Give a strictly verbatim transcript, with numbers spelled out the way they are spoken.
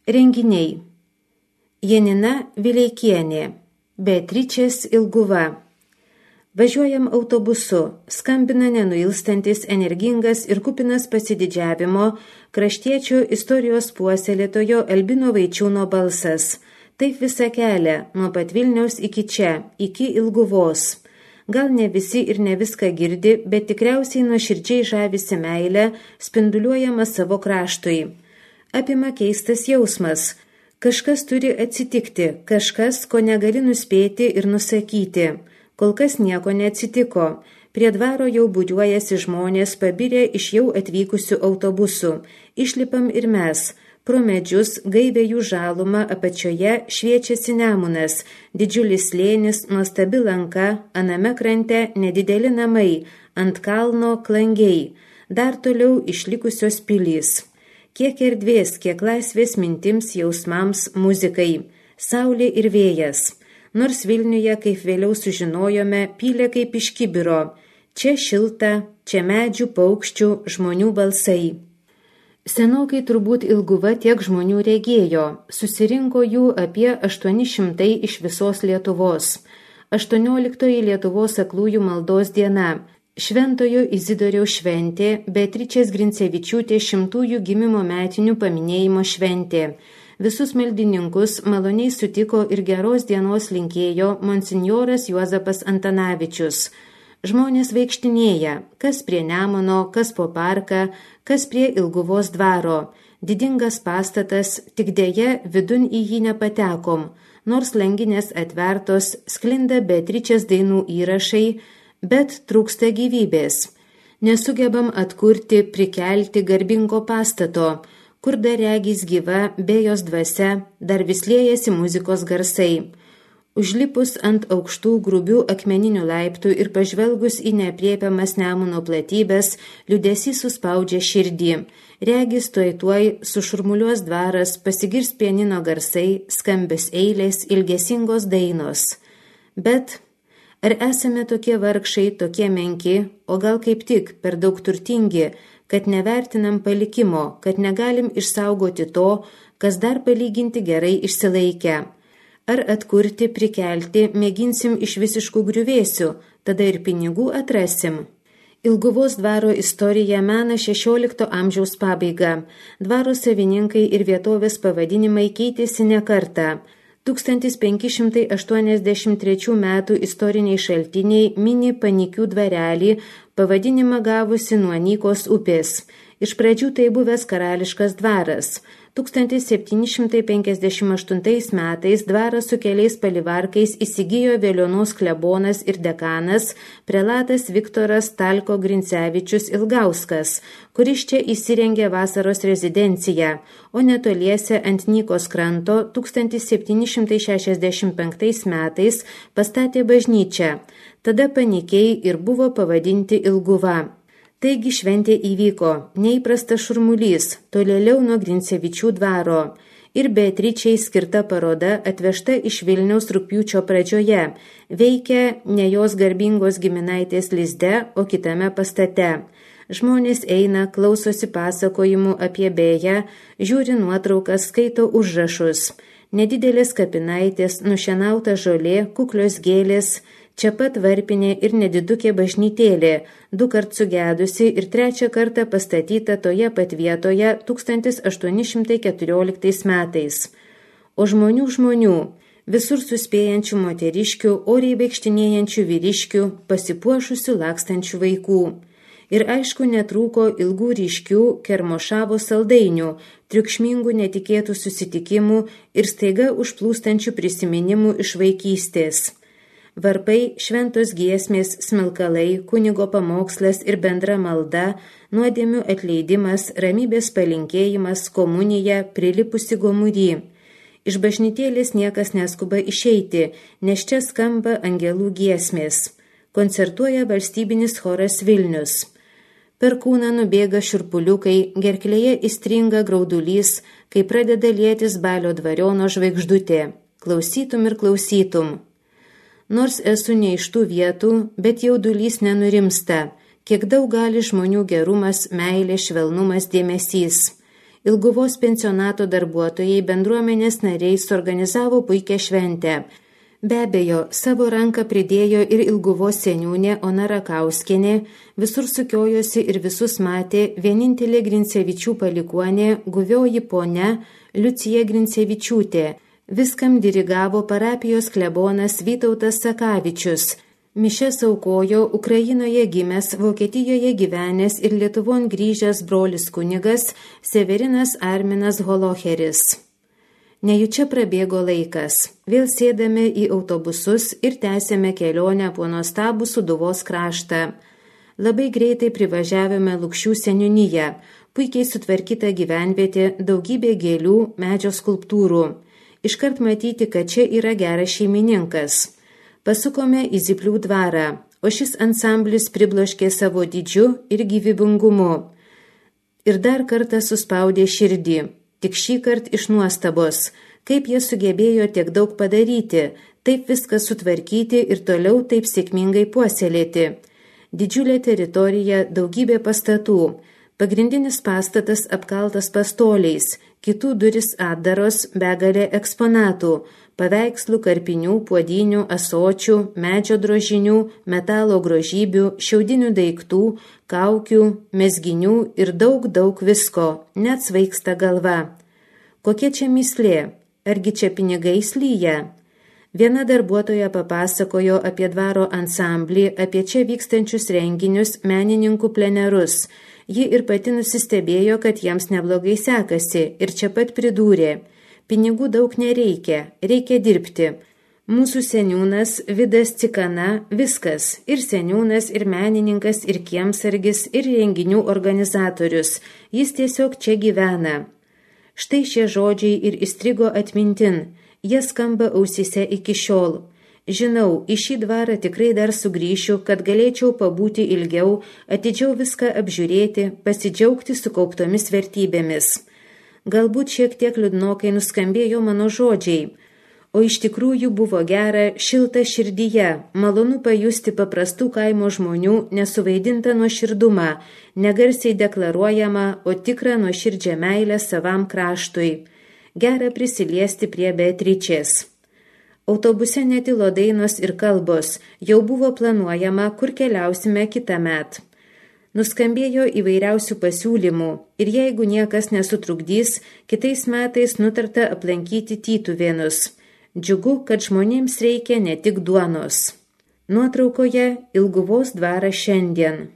Renginiai. Janina Vileikienė, Beatričės Ilguva. Važiuojam autobusu, skambina nenuilstantis, energingas ir kupinas pasididžiavimo kraštiečių istorijos puoselėtojo Albino Vaičiūno balsas. Taip visą kelią, nuo pat Vilniaus iki čia, iki Ilguvos. Gal ne visi ir ne viską girdi, bet tikriausiai nuoširdžiai žavisi meilę, spinduliuojama savo kraštui. Apima keistas jausmas. Kažkas turi atsitikti, kažkas, ko negali nuspėti ir nusakyti. Kol kas nieko neatsitiko. Prie dvaro jau būriuojasi žmonės pabirę iš jau atvykusių autobusų. Išlipam ir mes. Pro medžius, gaivė jų žalumą, apačioje šviečiasi Nemunas. Didžiulis slėnis, nuostabi lanka, aname krante nedideli namai, ant kalno klangiai. Dar toliau išlikusios pilys. Kiek erdvės, kiek laisvės mintims, jausmams, muzikai. Saulė ir vėjas. Nors Vilniuje, kaip vėliau sužinojome, pylė kaip iš kibiro. Čia šilta, čia medžių, paukščių, žmonių balsai. Senokai turbūt Ilguva tiek žmonių regėjo. Susirinko jų apie aštuoni šimtai iš visos Lietuvos. aštuonioliktoji Lietuvos aklųjų maldos diena. Šventojo Izidoriaus šventė, Beatričės Grincevičiūtės šimtųjų gimimo metinių paminėjimo šventė. Visus maldininkus maloniai sutiko ir geros dienos linkėjo monsinjoras Juozapas Antanavičius. Žmonės vaikštinėja, kas prie Nemuno, kas po parką, kas prie Ilguvos dvaro. Didingas pastatas, tik dėja vidun į jį nepatekom, nors langinės atvertos, sklinda Beatričės dainų įrašai, bet trūksta gyvybės. Nesugebam atkurti, prikelti garbingo pastato, kur dar regis gyva, be jos dvasia, dar vis liejasi muzikos garsai. Užlipus ant aukštų grubių akmeninių laiptų ir pažvelgus į neapriepiamas Nemuno platybės, liūdesys suspaudžia širdį. Regis tuoj tuoj sušurmuliuos dvaras, pasigirs pianino garsai, skambios eilės, ilgesingos dainos. Bet ar esame tokie vargšai, tokie menki, o gal kaip tik per daug turtingi, kad nevertinam palikimo, kad negalim išsaugoti to, kas dar palyginti gerai išsilaikę? Ar atkurti, prikelti, mėginsim iš visiškų griuvėsių, tada ir pinigų atrasim? Ilguvos dvaro istorija mena šešiolikto amžiaus pabaigą. Dvaro savininkai ir vietovės pavadinimai keitėsi ne kartą. tūkstantis penki šimtai aštuoniasdešimt trečių metų istoriniai šaltiniai mini Panikių dvarelį, pavadinimą gavusi nuo Nykos upės. Iš pradžių tai buvęs karališkas dvaras. tūkstantis septyni šimtai penkiasdešimt aštuntais metais dvarą su keliais palivarkais įsigijo Veliuonos klebonas ir dekanas prelatas Viktoras Talko Grincevičius Ilgauskas, kuris čia įsirengė vasaros rezidenciją, o netoliese ant Nykos kranto tūkstantis septyni šimtai šešiasdešimt penktais metais pastatė bažnyčią. Tada Panikiai ir buvo pavadinti Ilguva. Taigi šventė įvyko, neįprastas šurmulys, tolėliau nuo Grincevičių dvaro. Ir Beatričei skirta paroda atvežta iš Vilniaus rugpjūčio pradžioje, veikia ne jos garbingos giminaitės lizde, o kitame pastate. Žmonės eina, klausosi pasakojimų apie Bėją, žiūri nuotraukas, skaito užrašus. Nedidelės kapinaitės, nušienauta žolė, kuklios gėlės, čia pat varpinė ir nedidukė bažnytėlė, du kart sugedusi ir trečią kartą pastatyta toje pat vietoje tūkstantis aštuoni šimtai keturioliktais metais. O žmonių žmonių, visur suspėjančių moteriškių, oriai vaikštinėjančių vyriškių, pasipuošusių lakstančių vaikų. Ir aišku netrūko ilgų ryškių Kermošavo saldainių, triukšmingų netikėtų susitikimų ir staiga užplūstančių prisiminimų iš vaikystės. Varpai, šventos giesmės, smilkalai, kunigo pamokslas ir bendra malda, nuodėmių atleidimas, ramybės palinkėjimas, komunija, prilipusi gomury. Iš bažnytėlės niekas neskuba išeiti, nes čia skamba angelų giesmės. Koncertuoja valstybinis choras Vilnius. Per kūną nubėga šiurpuliukai, gerklėje įstringa graudulys, kai pradeda lietis Balio dvariono žvaigždutė. Klausytum ir klausytum. Nors esu ne iš tų vietų, bet jaudulys nenurimsta, kiek daug gali žmonių gerumas, meilė, švelnumas, dėmesys. Ilguvos pensionato darbuotojai bendruomenės nariai suorganizavo puikią šventę. Be abejo, savo ranką pridėjo ir Ilguvos seniūnė Ona Rakauskienė, visur sukiojosi ir visus matė vienintelė Grincevičių palikuonė, guvioji ponia Liucija Grincevičiūtė. Viskam dirigavo parapijos klebonas Vytautas Sakavičius. Mišias aukojo Ukrainoje gimęs, Vokietijoje gyvenęs ir Lietuvon grįžęs brolis kunigas Severinas Arminas Holocheris. Nejučia prabėgo laikas. Vėl sėdame į autobusus ir tęsėme kelionę po nuostabų Sūduvos kraštą. Labai greitai privažiavome Lukšių seniūniją, puikiai sutvarkyta gyvenvietė, daugybė gėlių, medžio skulptūrų. Iškart matyti, kad čia yra geras šeimininkas. Pasukome į Zyplių dvarą, o šis ansamblis pribloškė savo dydžiu ir gyvybingumu. Ir dar kartą suspaudė širdį, tik šį kartą iš nuostabos, kaip jie sugebėjo tiek daug padaryti, taip viską sutvarkyti ir toliau taip sėkmingai puoselėti. Didžiulė teritorija, daugybė pastatų, pagrindinis pastatas apkaltas pastoliais, kitų duris atdaros, begalė eksponatų, paveikslų, karpinių, puodinių, ąsočių, medžio drožinių, metalo grožybių, šiaudinių daiktų, kaukių, mezginių ir daug, daug visko, net svaigsta galva. Kokia čia myslė? Argi čia pinigai slyja? Viena darbuotoja papasakojo apie dvaro ansamblį, apie čia vykstančius renginius, menininkų plenerus. Ji ir pati nusistebėjo, kad jiems neblogai sekasi ir čia pat pridūrė. Pinigų daug nereikia, reikia dirbti. Mūsų seniūnas Vidas Cikana viskas, ir seniūnas, ir menininkas, ir kiemsargis, ir renginių organizatorius. Jis tiesiog čia gyvena. Štai šie žodžiai ir įstrigo atmintin, jie skamba ausyse iki šiol. Žinau, į šį dvarą tikrai dar sugrįšiu, kad galėčiau pabūti ilgiau, atidžiau viską apžiūrėti, pasidžiaugti sukauptomis vertybėmis. Galbūt šiek tiek liūdnokai nuskambėjo mano žodžiai, o iš tikrųjų buvo gera, šilta širdyje, malonu pajusti paprastų kaimo žmonių nesuvaidintą nuoširdumą, negarsiai deklaruojamą, o tikrą nuoširdžią meilę savam kraštui. Gera prisiliesti prie Beatričės. Autobuse netilo dainos ir kalbos, jau buvo planuojama, kur keliausime kitąmet. Nuskambėjo įvairiausių pasiūlymų ir jeigu niekas nesutrukdys, kitais metais nutarta aplankyti Tytuvėnus. Džiugu, kad žmonėms reikia ne tik duonos. Nuotraukoje Ilguvos dvaras šiandien.